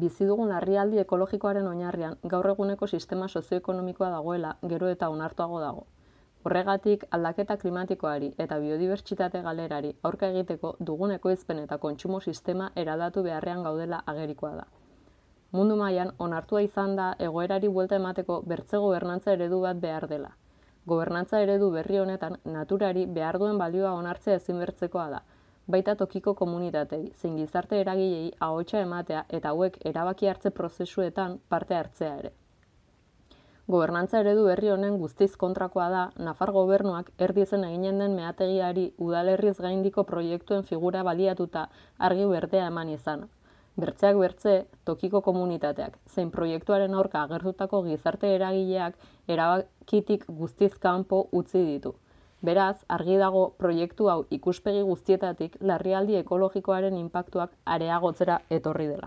bizi dugun larrialdi ekologikoaren oinarrian gaur eguneko sistema sozioekonomikoa dagoela gero eta onartuago dago. Horregatik, aldaketa klimatikoari eta biodibertsitate galerari aurka egiteko dugun ekoizpen eta kontsumo sistema eraldatu beharrean gaudela agerikoa da. Mundu mailan onartua izan da egoerari buelta emateko bertze gobernantza eredu bat behar dela. Gobernantza eredu berri honetan naturari behar duen balioa onartzea ezinbestekoa da, baita tokiko komunitatei, zein gizarte eragilei ahotsa ematea eta hauek erabaki hartze prozesuetan parte hartzea ere. Gobernantza eredu berri honen guztiz kontrakoa da Nafar gobernuak Erdiezen eginen den meategiari udalerriz gaindiko proiektuen figura baliatuta argi berdea eman izana. Bertzeak bertze, tokiko komunitateak, zein proiektuaren aurka agertutako gizarte eragileak erabakitik guztiz kanpo utzi ditu. Beraz, argi dago proiektu hau ikuspegi guztietatik larrialdi ekologikoaren inpaktuak areagotzera etorri dela.